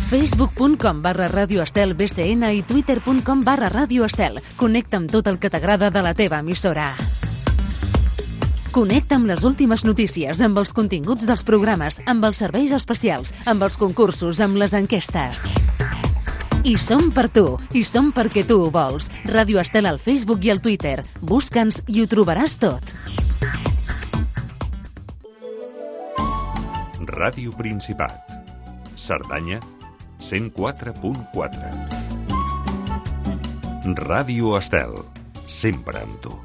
facebook.com/radioestelbcn i twitter.com/radioestel. Connecta amb tot el que t'agrada de la teva emissora. Connecta amb les últimes notícies, amb els continguts dels programes, amb els serveis especials, amb els concursos, amb les enquestes. I som per tu, i som perquè tu ho vols. Ràdio Estel al Facebook i al Twitter. Busca'ns i ho trobaràs tot. Ràdio Principat. Cerdanya 104.4. Ràdio Estel. Sempre amb tu.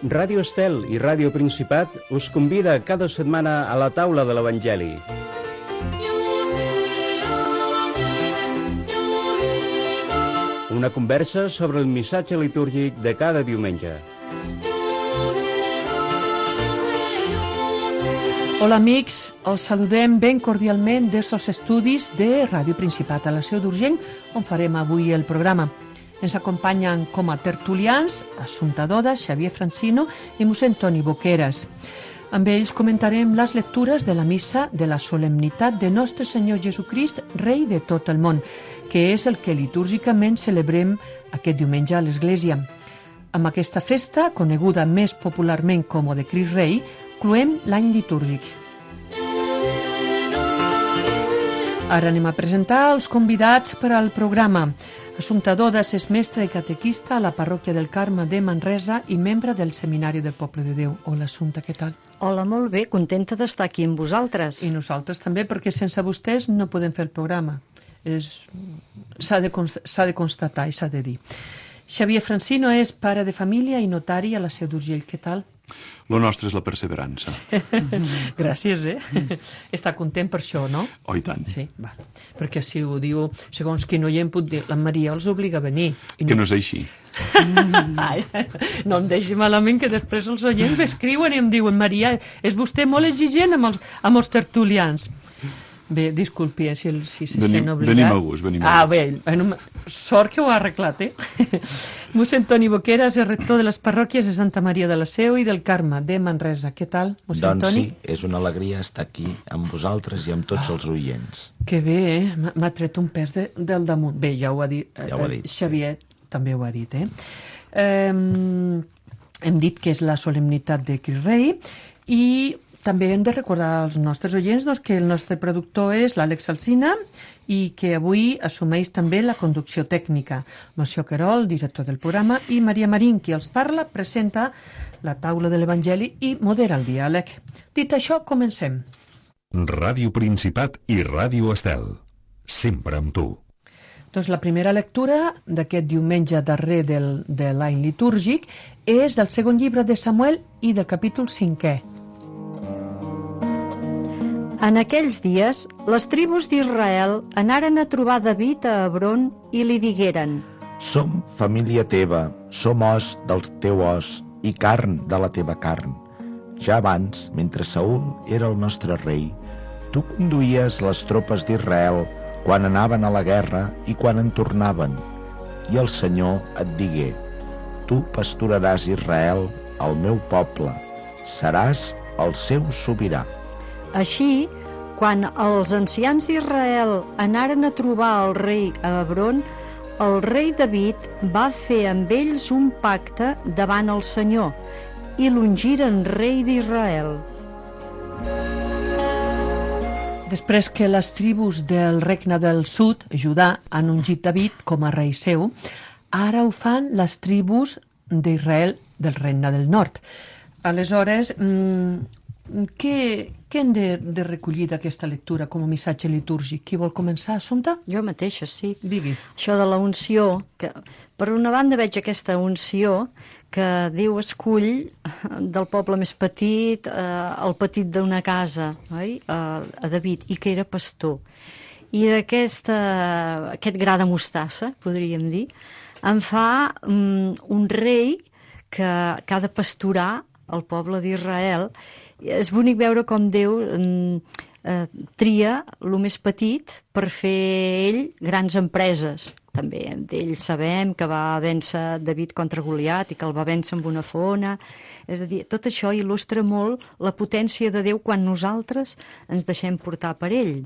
Ràdio Estel i Ràdio Principat us convida cada setmana a la taula de l'Evangeli. Una conversa sobre el missatge litúrgic de cada diumenge. Hola amics, us saludem ben cordialment des dels estudis de Ràdio Principat a la Seu d'Urgell, on farem avui el programa. Ens acompanyen com a tertulians Assumpta Doda, Xavier Francino i mossèn Toni Boqueras. Amb ells comentarem les lectures de la missa de la solemnitat de Nostre Senyor Jesucrist, Rei de tot el món, que és el que litúrgicament celebrem aquest diumenge a l'Església. Amb aquesta festa, coneguda més popularment com de Crist Rei, cloem l'any litúrgic. Ara anem a presentar els convidats per al programa. Assumpta Dodas és mestra i catequista a la parròquia del Carme de Manresa i membre del Seminari del Poble de Déu. Hola, Assumpta, què tal? Hola, molt bé, contenta d'estar aquí amb vosaltres. I nosaltres també, perquè sense vostès no podem fer el programa. S'ha de constatar i s'ha de dir. Xavier Francino és pare de família i notari a la Seu d'Urgell. Què tal? Lo nostre és la perseverança. Gràcies, Està content per això, no? Oh, i tant. Sí, va. Perquè si ho diu, segons qui no hi em pot dir, la Maria els obliga a venir. Que no és així. Ai, no em deixi malament, que després els oients m'escriuen i em diuen: Maria, és vostè molt exigent amb els tertulians. Bé, disculpi, si se sent obligat. Venim a gust, venim a gust. Bé, sort que ho ha arreglat, Mossèn Toni Boqueras és rector de les parròquies de Santa Maria de la Seu i del Carme de Manresa. Què tal, mossèn Toni? Doncs sí, és una alegria estar aquí amb vosaltres i amb tots els oients. Que bé, m'ha tret un pes del damunt. Bé, ja ho ha dit, Xavier també ho ha dit, Hem dit que és la solemnitat de Crist Rei i també hem de recordar als nostres oients que el nostre productor és l'Àlex Alsina i que avui assumeix també la conducció tècnica. Moció Querol, director del programa, i Maria Marín, qui els parla, presenta la taula de l'Evangeli i modera el diàleg. Dit això, comencem. Ràdio Principat i Ràdio Estel. Sempre amb tu. Doncs la primera lectura d'aquest diumenge darrer de l'any litúrgic és del segon llibre de Samuel i del capítol 5è. En aquells dies, les tribus d'Israel anaren a trobar David a Hebron i li digueren: Som família teva, som os del teu os i carn de la teva carn. Ja abans, mentre Saül era el nostre rei, tu conduïes les tropes d'Israel quan anaven a la guerra i quan en tornaven. I el Senyor et digué: Tu pasturaràs Israel, el meu poble, seràs el seu sobirà. Així, quan els ancians d'Israel anaren a trobar el rei a Hebron, el rei David va fer amb ells un pacte davant el Senyor i l'ungiren rei d'Israel. Després que les tribus del regne del sud, Judà, han ungit David com a rei seu, ara ho fan les tribus d'Israel del regne del nord. Aleshores, què hem de recollir d'aquesta lectura com a missatge litúrgic? Qui vol començar, Assumpta? Jo mateixa, sí. Digui. Això de la unció, que per una banda veig aquesta unció que Déu escull del poble més petit, el petit d'una casa, oi? A David, i que era pastor. I aquest gra de mostassa, podríem dir, en fa un rei que ha de pasturar el poble d'Israel. És bonic veure com Déu tria el més petit per fer ell grans empreses, també d'ell sabem que va vèncer David contra Goliat i que el va vèncer amb una fona. És a dir, tot això il·lustra molt la potència de Déu quan nosaltres ens deixem portar per ell.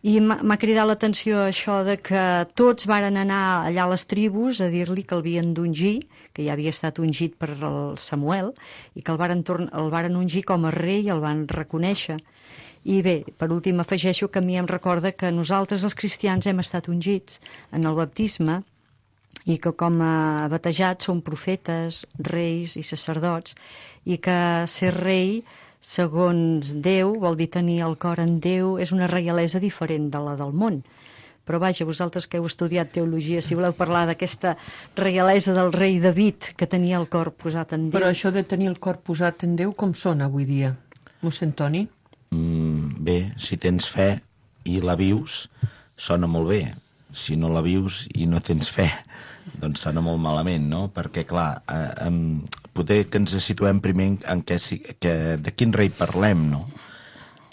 I m'ha cridat l'atenció això de que tots varen anar allà a les tribus a dir-li que el havien d'ungir, que ja havia estat ungit per el Samuel, i que el varen ungir com a rei i el van reconèixer. I bé, per últim afegeixo que a mi em recorda que nosaltres els cristians hem estat ungits en el baptisme i que com a batejats som profetes, reis i sacerdots, i que ser rei segons Déu vol dir tenir el cor en Déu, és una reialesa diferent de la del món. Però vaja, vosaltres que heu estudiat teologia, si voleu parlar d'aquesta reialesa del rei David que tenia el cor posat en Déu. Però això de tenir el cor posat en Déu com sona avui dia? Mossèn Toni? Bé, si tens fe i la vius, sona molt bé. Si no la vius i no tens fe, doncs sona molt malament, no? Perquè, clar, potser que ens situem primer en de quin rei parlem, no?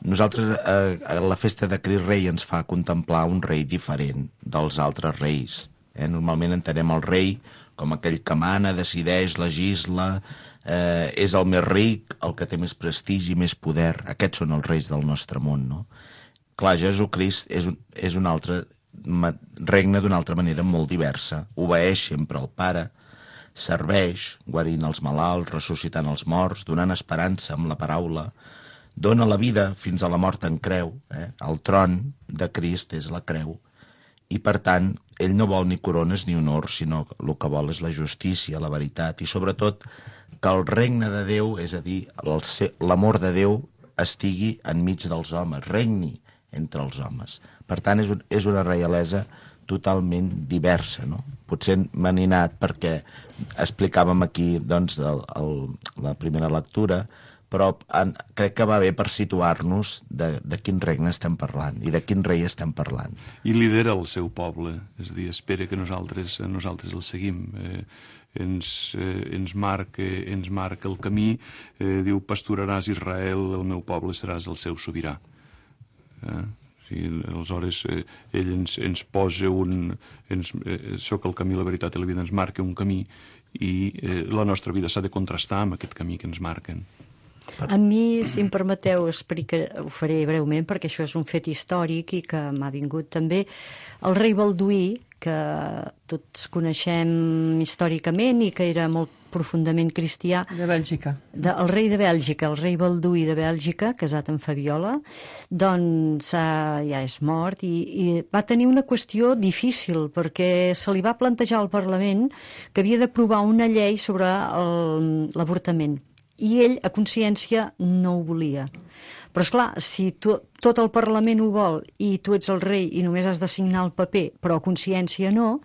Nosaltres, a la festa de Crist Rei ens fa contemplar un rei diferent dels altres reis. Normalment entenem el rei com aquell que mana, decideix, legisla, és el més ric, el que té més prestigi, més poder. Aquests són els reis del nostre món, no? Clar, Jesucrist és un altre, regna d'una altra manera molt diversa. Obeeix sempre al Pare, serveix, guarint els malalts, ressuscitant els morts, donant esperança amb la paraula, dona la vida fins a la mort en creu. El tron de Crist és la creu. I, per tant, ell no vol ni corones ni honors, sinó que el que vol és la justícia, la veritat, i sobretot que el regne de Déu, és a dir, l'amor de Déu, estigui enmig dels homes, regni entre els homes. Per tant, és una reialesa totalment diversa, no? Potser m'ha ninat perquè explicàvem aquí, doncs, la primera lectura, però crec que va bé per situar-nos de quin regne estem parlant i de quin rei estem parlant. I lidera el seu poble, és a dir, espera que nosaltres el seguim. Ens marca el camí, diu, pasturaràs Israel, el meu poble seràs el seu sobirà. Aleshores, ell ens posa soc el camí, la veritat i la vida, ens marca un camí i la nostra vida s'ha de contrastar amb aquest camí que ens marquen. A mi, si em permeteu, ho faré breument perquè això és un fet històric i que m'ha vingut també. El rei Balduí, que tots coneixem històricament i que era molt profundament cristià. De Bèlgica. El rei de Bèlgica, el rei Balduí de Bèlgica, casat amb Fabiola, doncs ja és mort i va tenir una qüestió difícil perquè se li va plantejar al Parlament que havia d'aprovar una llei sobre l'avortament. I ell, a consciència, no ho volia. Però, esclar, si tot el Parlament ho vol i tu ets el rei i només has de signar el paper, però a consciència no,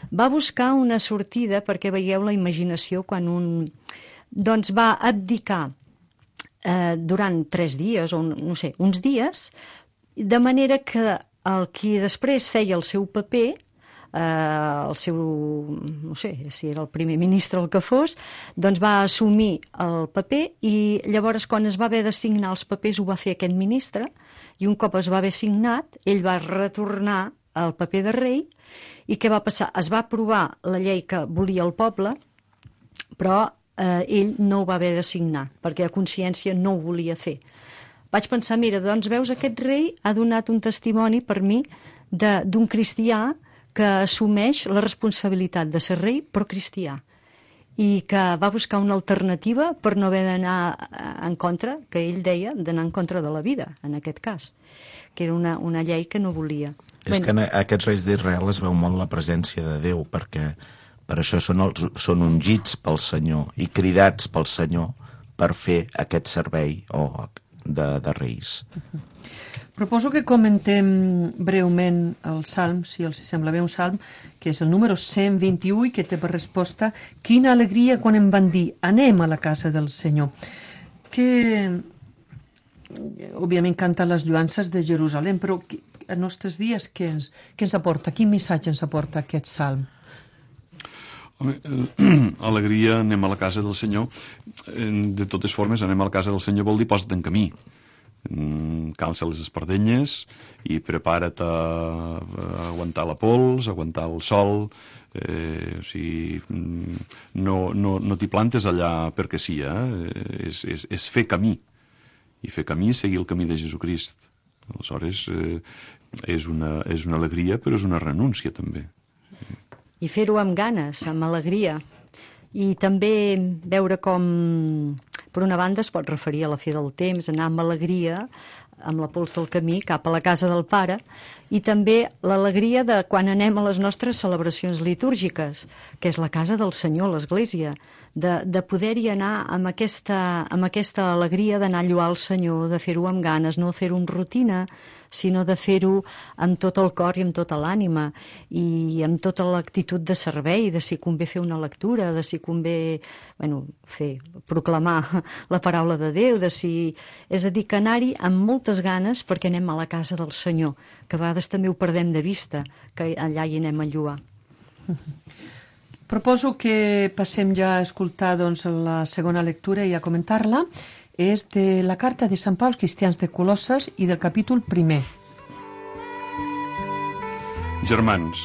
va buscar una sortida perquè veieu la imaginació quan doncs va abdicar durant 3 dies, o no sé, uns dies, de manera que el qui després feia el seu paper, el seu, no sé si era el primer ministre o el que fos, doncs va assumir el paper i llavors quan es va haver de signar els papers ho va fer aquest ministre i un cop es va haver signat ell va retornar el paper de rei i què va passar? Es va aprovar la llei que volia el poble però ell no ho va haver de signar perquè a consciència no ho volia fer. Vaig pensar, mira, doncs veus, aquest rei ha donat un testimoni per mi d'un cristià que assumeix la responsabilitat de ser rei però cristià i que va buscar una alternativa per no haver d'anar en contra, que ell deia, d'anar en contra de la vida, en aquest cas, que era una llei que no volia. És que en aquests reis d'Israel es veu molt la presència de Déu, perquè per això són ungits pel Senyor i cridats pel Senyor per fer aquest servei de reis. Proposo que comentem breument el salm, si els sembla bé, un salm, que és el número 121, que té per resposta quina alegria quan em van dir anem a la casa del Senyor. Que, òbviament, canta les lluances de Jerusalem, però en nostres dies què ens aporta? Quin missatge ens aporta aquest salm? Home, alegria, anem a la casa del Senyor. De totes formes, anem a la casa del Senyor vol dir posa't en camí. calça les espardenyes i prepara't a aguantar la pols, a aguantar el sol. O sigui, no t'hi plantes allà perquè sí, és fer camí. I fer camí és seguir el camí de Jesucrist. Aleshores, és una alegria, però és una renúncia, també. I fer-ho amb ganes, amb alegria. I també veure com, per una banda, es pot referir a la fi del temps, anar amb alegria, amb la pols del camí, cap a la casa del Pare, i també l'alegria de quan anem a les nostres celebracions litúrgiques, que és la casa del Senyor, l'Església, de poder-hi anar amb aquesta alegria d'anar a lloar el Senyor, de fer-ho amb ganes, no fer-ho amb rutina, sinó de fer-ho amb tot el cor i amb tota l'ànima i amb tota l'actitud de servei, de si convé fer una lectura, de si convé proclamar la paraula de Déu, és a dir, que anar-hi amb moltes ganes perquè anem a la casa del Senyor, que a vegades també ho perdem de vista, que allà hi anem a lloar. Proposo que passem ja a escoltar la segona lectura i a comentar-la. És de la carta de Sant Pau als cristians de Colosses i del capítol 1. Germans,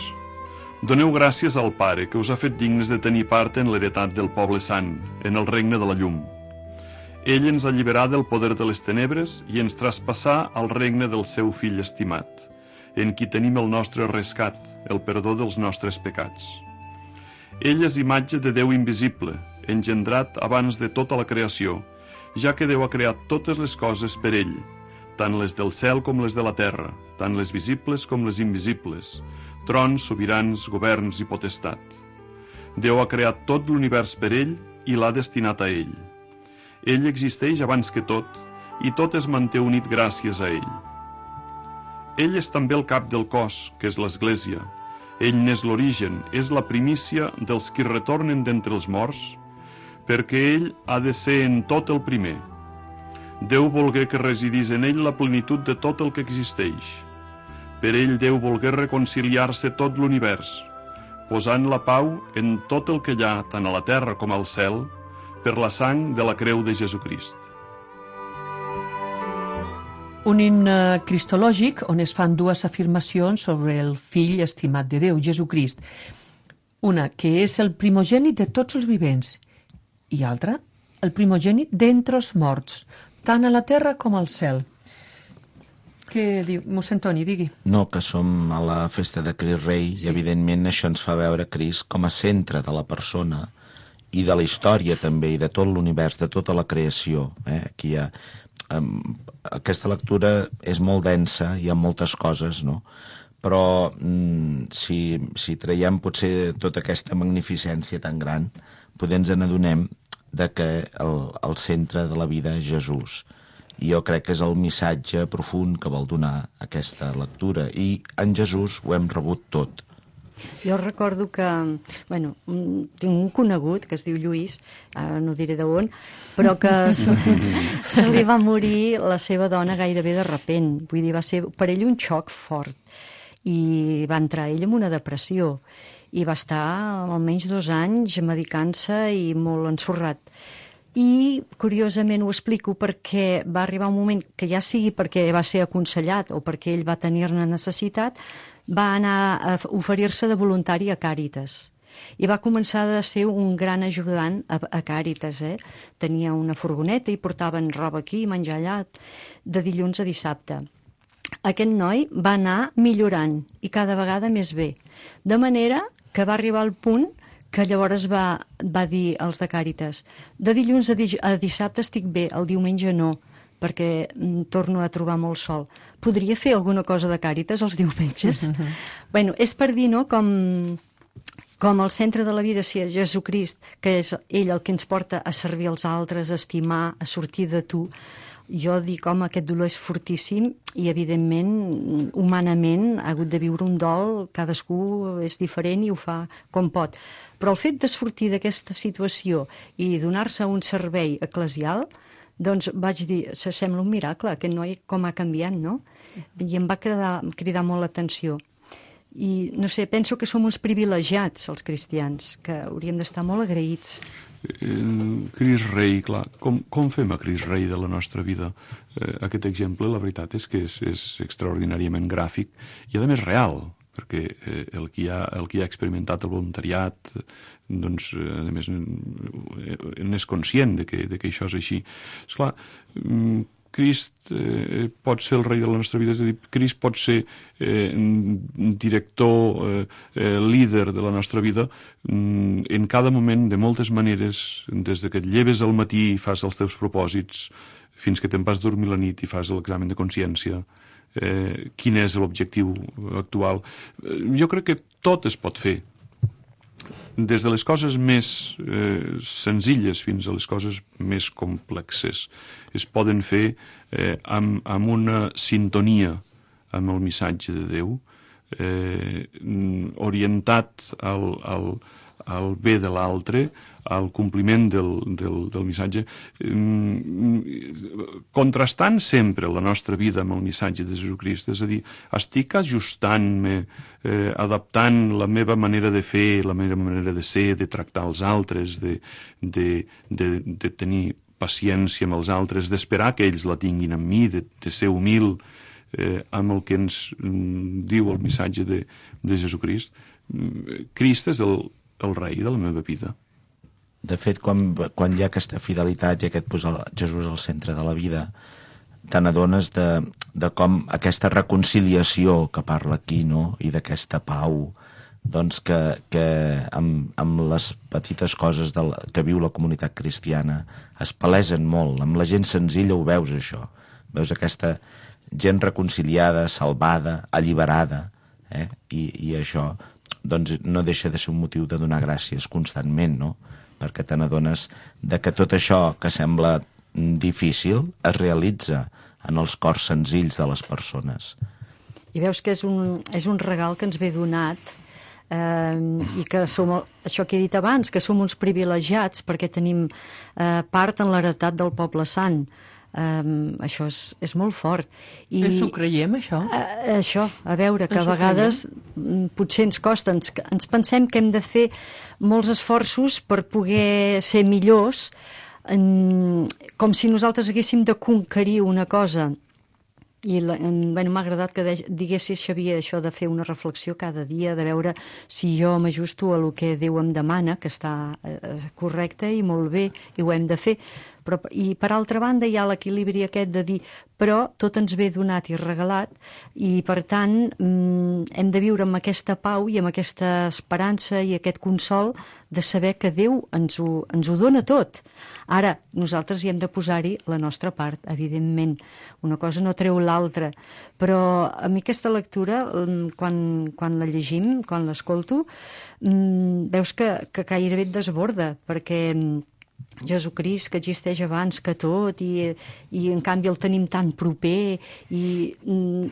doneu gràcies al Pare que us ha fet dignes de tenir part en l'heretat del poble sant, en el regne de la llum. Ell ens alliberà del poder de les tenebres i ens traspassà al regne del seu fill estimat, en qui tenim el nostre rescat, el perdó dels nostres pecats. Ell és imatge de Déu invisible, engendrat abans de tota la creació, ja que Déu ha creat totes les coses per ell, tant les del cel com les de la terra, tant les visibles com les invisibles, trons, sobirans, governs i potestat. Déu ha creat tot l'univers per ell i l'ha destinat a ell. Ell existeix abans que tot, i tot es manté unit gràcies a ell. Ell és també el cap del cos, que és l'Església. Ell n'és l'origen, és la primícia dels qui retornen d'entre els morts, perquè ell ha de ser en tot el primer. Déu volgué que residís en ell la plenitud de tot el que existeix. Per ell Déu volgué reconciliar-se tot l'univers, posant la pau en tot el que hi ha, tant a la terra com al cel, per la sang de la creu de Jesucrist. Un himne cristològic on es fan dues afirmacions sobre el fill estimat de Déu, Jesucrist. Una, que és el primogènit de tots els vivents, i altra, el primogènit d'entre els morts, tant a la terra com al cel. Què diu? Mossèn Toni, digui. No, que som a la festa de Crist Rei i evidentment això ens fa veure Crist com a centre de la persona i de la història també, i de tot l'univers, de tota la creació. Aquí hi ha... Aquesta lectura és molt densa, hi ha moltes coses, no? Però si traiem potser tota aquesta magnificència tan gran, potser ens n'adonem que el centre de la vida és Jesús. I jo crec que és el missatge profund que vol donar aquesta lectura. I en Jesús ho hem rebut tot. Jo recordo que, tinc un conegut que es diu Lluís, ara no diré d'on, però que se li va morir la seva dona gairebé de repent. Vull dir, va ser per ell un xoc fort. I va entrar ell en una depressió. I va estar almenys 2 anys medicant-se i molt ensorrat. I, curiosament, ho explico perquè va arribar un moment que ja sigui perquè va ser aconsellat o perquè ell va tenir-ne necessitat, va anar a oferir-se de voluntari a Càritas. I va començar a ser un gran ajudant a Càritas. Tenia una furgoneta i portaven roba aquí, menjar allà, de dilluns a dissabte. Aquest noi va anar millorant i cada vegada més bé. De manera que va arribar al punt que llavors va dir als de Càritas: de dilluns a dissabte estic bé, el diumenge no, perquè torno a trobar molt sol. Podria fer alguna cosa de Càritas els diumenges? És per dir, no?, com el centre de la vida sia Jesucrist, que és ell el que ens porta a servir els altres, a estimar, a sortir de tu. Jo dic, home, aquest dolor és fortíssim i, evidentment, humanament ha hagut de viure un dol, cadascú és diferent i ho fa com pot. Però el fet de sortir d'aquesta situació i donar-se un servei eclesial, doncs vaig dir, sembla un miracle, aquest noi com ha canviat, no? I em va cridar molt l'atenció. I, no sé, penso que som uns privilegiats, els cristians, que hauríem d'estar molt agraïts. Crist Rei, clar, com fem a Crist Rei de la nostra vida? Aquest exemple, la veritat és que és extraordinàriament gràfic i a més real, perquè el que ha experimentat el voluntariat, doncs, a més, n'és conscient de que això és així. Esclar, Crist pot ser el rei de la nostra vida, és a dir, Crist pot ser director, líder de la nostra vida en cada moment, de moltes maneres, des que et lleves al matí i fas els teus propòsits, fins que te'n vas dormir la nit i fas l'examen de consciència. Quin és l'objectiu actual? Jo crec que tot es pot fer, des de les coses més senzilles fins a les coses més complexes. Es poden fer amb una sintonia amb el missatge de Déu, orientat al bé de l'altre, al compliment del missatge, contrastant sempre la nostra vida amb el missatge de Jesucrist. És a dir, estic ajustant-me, adaptant la meva manera de fer, la meva manera de ser, de tractar els altres, de tenir paciència amb els altres, d'esperar que ells la tinguin amb mi, de ser humil amb el que ens diu el missatge de Jesucrist. Crist és el rei de la meva vida. De fet, quan hi ha aquesta fidelitat i aquest posar Jesús al centre de la vida, te n'adones de com aquesta reconciliació que parla aquí, no? I d'aquesta pau, doncs que amb les petites coses que viu la comunitat cristiana es palesen molt. Amb la gent senzilla ho veus, això. Veus aquesta gent reconciliada, salvada, alliberada, i això doncs no deixa de ser un motiu de donar gràcies constantment, no? Perquè te n'adones que tot això que sembla difícil es realitza en els cors senzills de les persones. I veus que és un regal que ens ve donat, i que som, això que he dit abans, que som uns privilegiats perquè tenim part en l'heretat del poble sant. Això és molt fort. Ens ho creiem, això? Això, a veure, que a vegades potser ens costa, ens pensem que hem de fer molts esforços per poder ser millors, com si nosaltres haguéssim de conquerir una cosa. I m'ha agradat que diguessis, Xavier, això de fer una reflexió cada dia, de veure si jo m'ajusto a el que Déu em demana, que està correcte i molt bé, i ho hem de fer. I per altra banda hi ha l'equilibri aquest de dir però tot ens ve donat i regalat i per tant hem de viure amb aquesta pau i amb aquesta esperança i aquest consol de saber que Déu ens ho dona tot. Ara, nosaltres hi hem de posar-hi la nostra part, evidentment. Una cosa no treu l'altra. Però a mi aquesta lectura, quan la llegim, quan l'escolto, veus que gairebé et desborda, perquè Jesucrist, que existeix abans que tot, i en canvi el tenim tan proper, i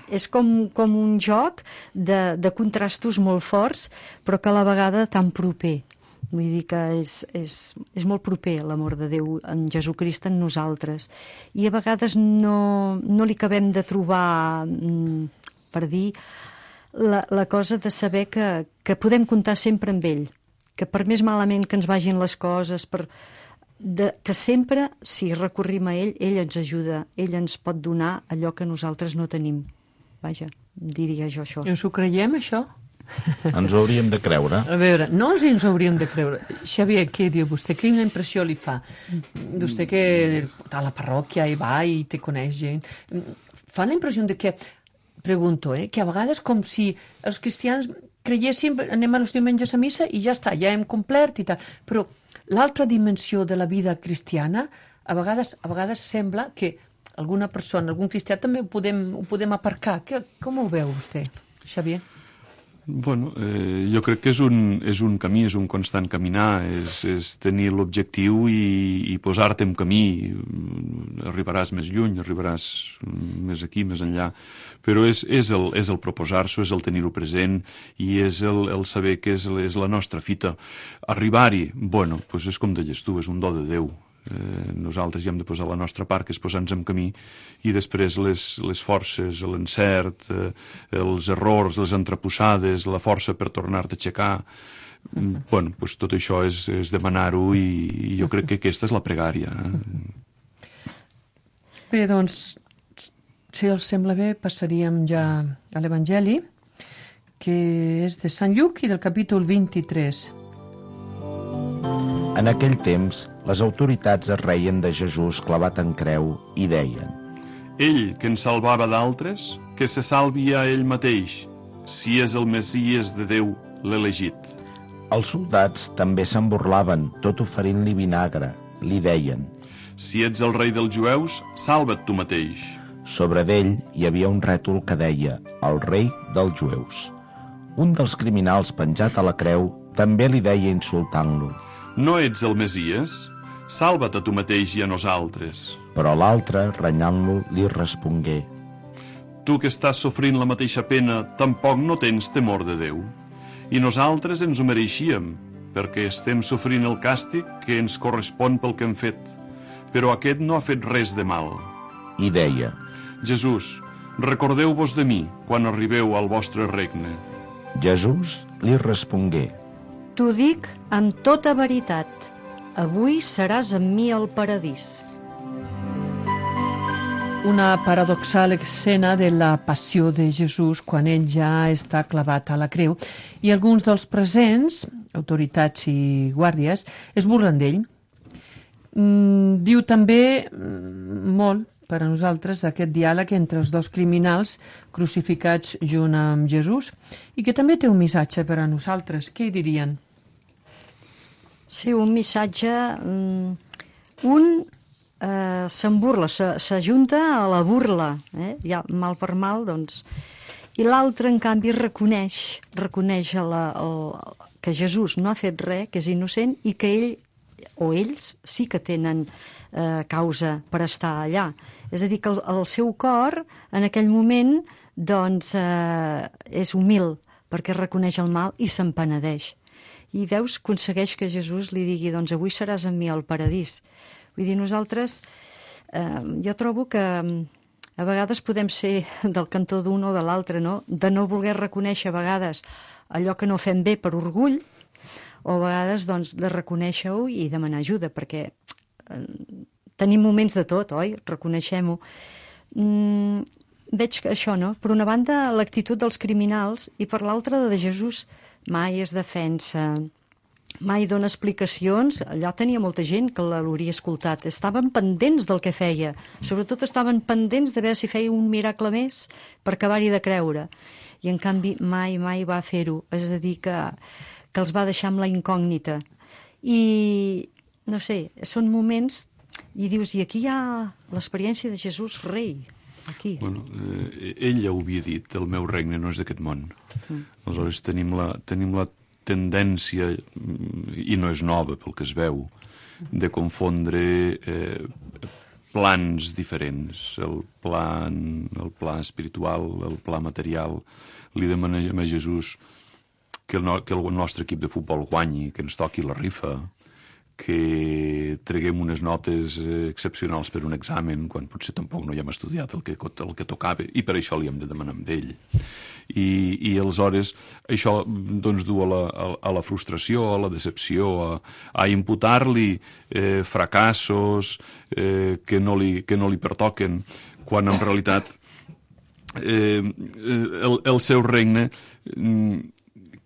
és com un joc de contrastos molt forts, però que a la vegada tan proper. Vull dir que és molt proper l'amor de Déu en Jesucrist en nosaltres. I a vegades no li acabem de trobar, per dir, la cosa de saber que podem comptar sempre amb ell, que per més malament que ens vagin les coses, que sempre, si recorrim a ell ens ajuda, ell ens pot donar allò que nosaltres no tenim. Vaja, diria jo això. Ens ho creiem, això? Ens ho hauríem de creure. A veure, no ens ho hauríem de creure. Xavier, què diu vostè? Quina impressió li fa? Vostè que a la parròquia hi va i te coneix gent. Fa la impressió de que, pregunto, que a vegades com si els cristians creiessin, anem els diumenges a missa i ja està, ja hem complert i tal. Però l'altra dimensió de la vida cristiana, a vegades sembla que alguna persona, algun cristià també ho podem aparcar. Com ho veu vostè, Xavier? Bueno, jo crec que és un camí, és un constant caminar, és tenir l'objectiu i posar-te en camí. Arribaràs més lluny, arribaràs més aquí, més enllà, però és el proposar-s'ho, és el tenir-ho present i és el saber que és la nostra fita. Arribar-hi, bueno, doncs és com deies tu, és un do de Déu. Nosaltres hi hem de posar la nostra part, que és posar-nos en camí, i després les forces, l'encert, els errors, les entreposades, la força per tornar-te a aixecar. Bueno, doncs tot això és demanar-ho, i jo crec que aquesta és la pregària. Bé, doncs, si els sembla bé, passaríem ja a l'Evangeli, que és de Sant Lluc i del capítol 23. En aquell temps, les autoritats es reien de Jesús clavat en creu i deien: Ell, que ens salvava d'altres, que se salvi a ell mateix, si és el Messies de Déu, l'elegit. Els soldats també se'n burlaven, tot oferint-li vinagre. Li deien: Si ets el rei dels jueus, salva't tu mateix. Sobre d'ell hi havia un rètol que deia: el rei dels jueus. Un dels criminals penjat a la creu també li deia insultant-lo: No ets el Messies? Salva't a tu mateix i a nosaltres. Però l'altre, renyant-lo, li respongué: Tu que estàs sofrint la mateixa pena, tampoc no tens temor de Déu. I nosaltres ens ho mereixíem, perquè estem sofrint el càstig que ens correspon pel que hem fet. Però aquest no ha fet res de mal. I deia: Jesús, recordeu-vos de mi quan arribeu al vostre regne. Jesús li respongué: T'ho dic amb tota veritat. Avui seràs amb mi al paradís. Una paradoxal escena de la passió de Jesús quan ell ja està clavat a la creu, i alguns dels presents, autoritats i guàrdies, es burlen d'ell. Diu també molt per a nosaltres aquest diàleg entre els dos criminals crucificats junt amb Jesús, i que també té un missatge per a nosaltres. Què hi dirien? Sí, un missatge... se'n burla, s'ajunta a la burla, ja mal per mal, doncs. I l'altre, en canvi, reconeix que Jesús no ha fet res, que és innocent, i que ell o ells sí que tenen causa per estar allà. És a dir, que el seu cor, en aquell moment, doncs, és humil, perquè reconeix el mal i se'n penedeix. I veus, aconsegueix que Jesús li digui: doncs avui seràs amb mi al paradís. Vull dir, nosaltres, jo trobo que a vegades podem ser del cantó d'un o de l'altre, no? De no voler reconèixer a vegades allò que no fem bé per orgull, o a vegades doncs, de reconèixer-ho i demanar ajuda, perquè tenim moments de tot, oi? Reconeixem-ho. Veig que això, no? Per una banda, l'actitud dels criminals, i per l'altra, de Jesús mai es defensa, mai dona explicacions. Allà tenia molta gent que l'hauria escoltat. Estaven pendents del que feia. Sobretot estaven pendents de veure si feia un miracle més per acabar-hi de creure. I, en canvi, mai va fer-ho. És a dir, que els va deixar amb la incògnita. I, no sé, són moments... I dius, i aquí hi ha l'experiència de Jesús rei. Aquí. Bueno, ell ja ho havia dit: el meu regne no és d'aquest món. Aleshores tenim la tendència, i no és nova pel que es veu, de confondre plans diferents, el pla espiritual, el pla material. Li demanem a Jesús que el nostre equip de futbol guanyi, que ens toqui la rifa, que treguem unes notes excepcionals per un examen, quan potser tampoc no hi hem estudiat el que tocava, i per això li hem de demanar amb ell. I aleshores això doncs du a la frustració, a la decepció, a imputar-li fracassos que no li pertoquen, quan en realitat el seu regne...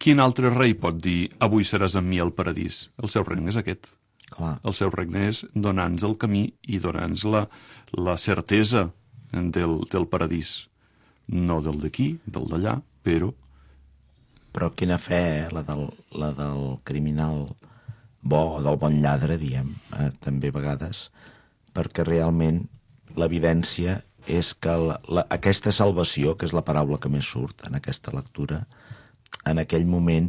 Quin altre rei pot dir: avui seràs amb mi al paradís? El seu regne és aquest. Clar. El seu regne és donar-nos el camí i donar-nos la certesa del paradís. No del d'aquí, del d'allà, però... Però quina fe, la del criminal bo, o del bon lladre, diem, també a vegades, perquè realment l'evidència és que aquesta salvació, que és la paraula que més surt en aquesta lectura, en aquell moment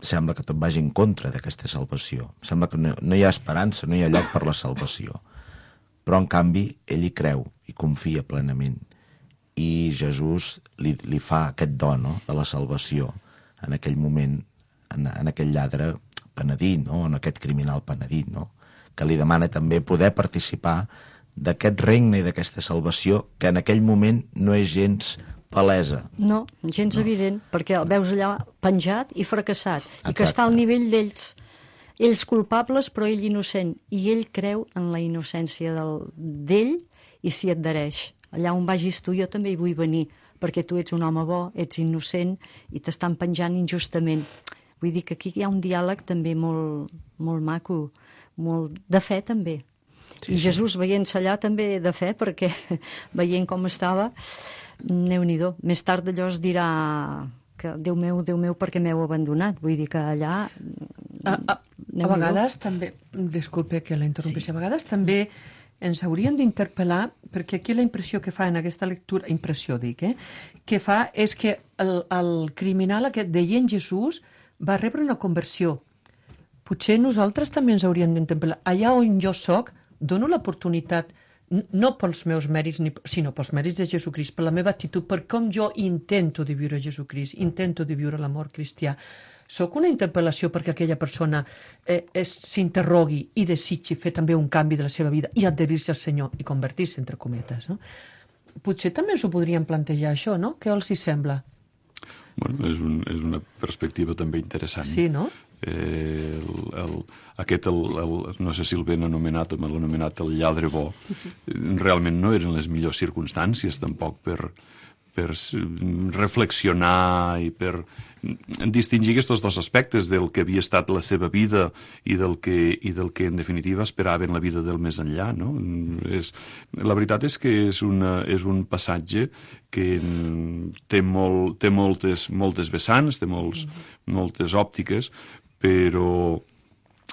sembla que tot vagi en contra d'aquesta salvació. Sembla que no hi ha esperança, no hi ha lloc per la salvació. Però, en canvi, ell hi creu i confia plenament. I Jesús li fa aquest do, no?, de la salvació en aquell moment, en aquell lladre penedit, no?, en aquest criminal penedit, no?, que li demana també poder participar d'aquest regne i d'aquesta salvació que en aquell moment no és gens palesa. No, gens evident, perquè el veus allà penjat i fracassat, i que Exacte. està al nivell d'ells. Ells culpables, però ell innocent. I ell creu en la innocència d'ell i s'hi adhereix. Allà on vagis tu, jo també hi vull venir, perquè tu ets un home bo, ets innocent i t'estan penjant injustament. Vull dir que aquí hi ha un diàleg també molt, molt maco, molt de fe també. Sí, I Jesús veient-se allà també de fe, perquè veient com estava, Déu-n'hi-do. Més tard allò es dirà que Déu meu, per què m'heu abandonat? Vull dir que allà... A vegades també, disculpe que la interrompi, sí. A vegades també ens haurien d'interpel·lar, perquè aquí la impressió que fa en aquesta lectura, que fa és que el criminal aquest veient Jesús va rebre una conversió. Potser nosaltres també ens hauríem d'interpel·lar. Allà on jo soc, dono l'oportunitat, no pels meus mèrits, sinó pels mèrits de Jesucrist, per la meva actitud, per com jo intento de viure Jesucrist, intento de viure l'amor cristià. Soc una interpel·lació perquè aquella persona s'interrogui i desitgi fer també un canvi de la seva vida i adherir-se al Senyor i convertir-se, entre cometes. No? Potser també ens ho podríem plantejar, això, no? Què els hi sembla? Bueno, és una perspectiva també interessant. Sí, no? No sé si el ben anomenat o mal anomenat el lladre bo, realment no eren les millors circumstàncies tampoc per reflexionar i per distingir aquests dos aspectes del que havia estat la seva vida i del que en definitiva esperaven la vida del més enllà, no? La veritat és que és un passatge que té moltes vessants, té moltes òptiques, però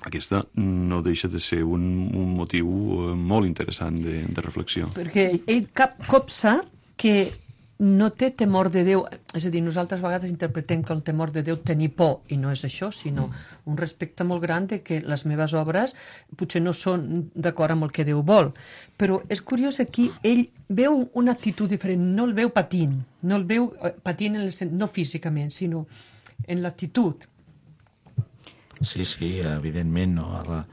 aquesta no deixa de ser un motiu molt interessant de reflexió. Perquè ell copsa que no té temor de Déu, és a dir, nosaltres a vegades interpretem que el temor de Déu tenir por, i no és això, sinó un respecte molt gran de que les meves obres potser no són d'acord amb el que Déu vol. Però és curiós, aquí ell veu una actitud diferent, no el veu patint, no el veu patint no físicament, sinó en l'actitud. Sí, evidentment, no?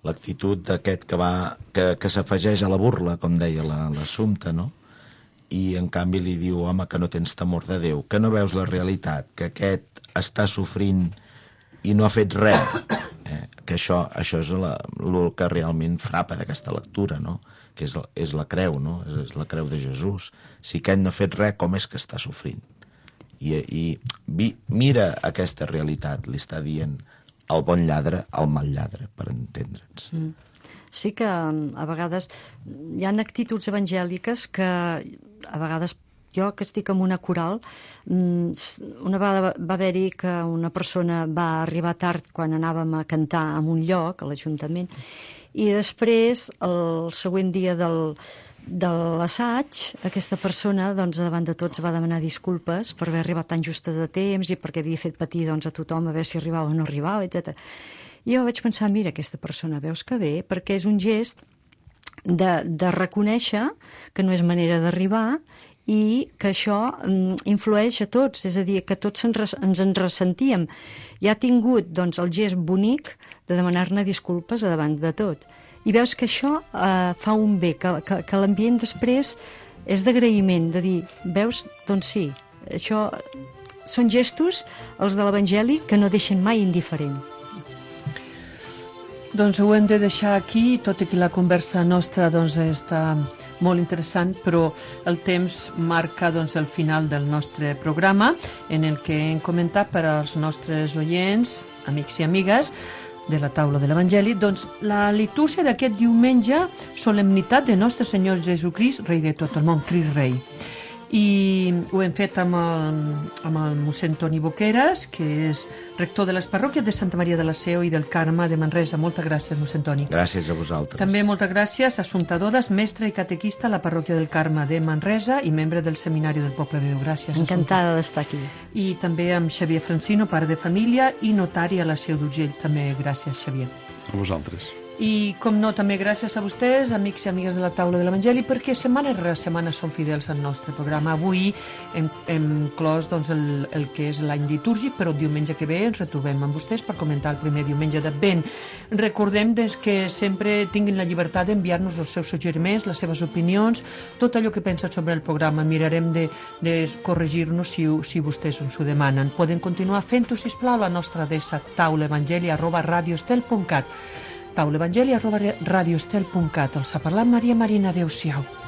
L'actitud d'aquest que s'afegeix a la burla, com deia l'Assumpta, no? I en canvi li diu, home, que no tens temor de Déu, que no veus la realitat, que aquest està sofrint i no ha fet res. Que això és el que realment frapa d'aquesta lectura, no? Que és la creu, no? És la creu de Jesús. Si aquest no ha fet res, com és que està sofrint? I mira aquesta realitat, li està dient el bon lladre al mal lladre, per entendre'ns. Sí que a vegades hi ha actituds evangèliques que a vegades jo que estic en una coral, una vegada va haver-hi que una persona va arribar tard quan anàvem a cantar en un lloc, a l'Ajuntament, i després, el següent dia de l'assaig, aquesta persona, doncs, davant de tots va demanar disculpes per haver arribat tan justa de temps i perquè havia fet patir doncs, a tothom a veure si arribava o no arribava, etc. I jo vaig pensar, mira, aquesta persona, veus que bé, perquè és un gest de reconèixer que no és manera d'arribar i que això influeix a tots, és a dir, que tots ens en ressentíem. I ha tingut doncs, el gest bonic de demanar-ne disculpes davant de tot. I veus que això fa un bé, que l'ambient després és d'agraïment, de dir, veus, doncs sí, això són gestos, els de l'Evangeli, que no deixen mai indiferent. Doncs ho hem de deixar aquí, tot i que la conversa nostra doncs, està molt interessant, però el temps marca doncs, el final del nostre programa, en el que hem comentat per als nostres oients, amics i amigues, de la taula de l'Evangeli, doncs la litúrgia d'aquest diumenge, solemnitat de Nostre Senyor Jesucrist, Rei de tot el món, Crist Rei. I ho hem fet amb el mossèn Toni Boqueras, que és rector de les parròquies de Santa Maria de la Seu i del Carme de Manresa. Moltes gràcies, mossèn Toni. Gràcies a vosaltres. També moltes gràcies a Assumpta Dodas, mestra i catequista a la parròquia del Carme de Manresa i membre del Seminari del Poble de Déu. Gràcies, Assumpta. Encantada d'estar aquí. I també amb Xavier Francino, pare de família i notari a la Seu d'Urgell. També gràcies, Xavier. A vosaltres. I, com no, també gràcies a vostès, amics i amigues de la Taula de l'Evangeli, perquè setmana rere setmana són fidels al nostre programa. Avui hem clos doncs, el que és l'any litúrgic, però el diumenge que ve ens retrobem amb vostès per comentar el primer diumenge d'Advent. Recordem que sempre tinguin la llibertat d'enviar-nos els seus suggeriments, les seves opinions, tot allò que pensen sobre el programa. Mirarem de corregir-nos si vostès ens ho demanen. Poden continuar fent-ho, sisplau, a la nostra adreça taulaevangeli@radioestel.cat taulaevangeli@radioestel.cat. Els ha parlat Maria Marina. Adéu-siau.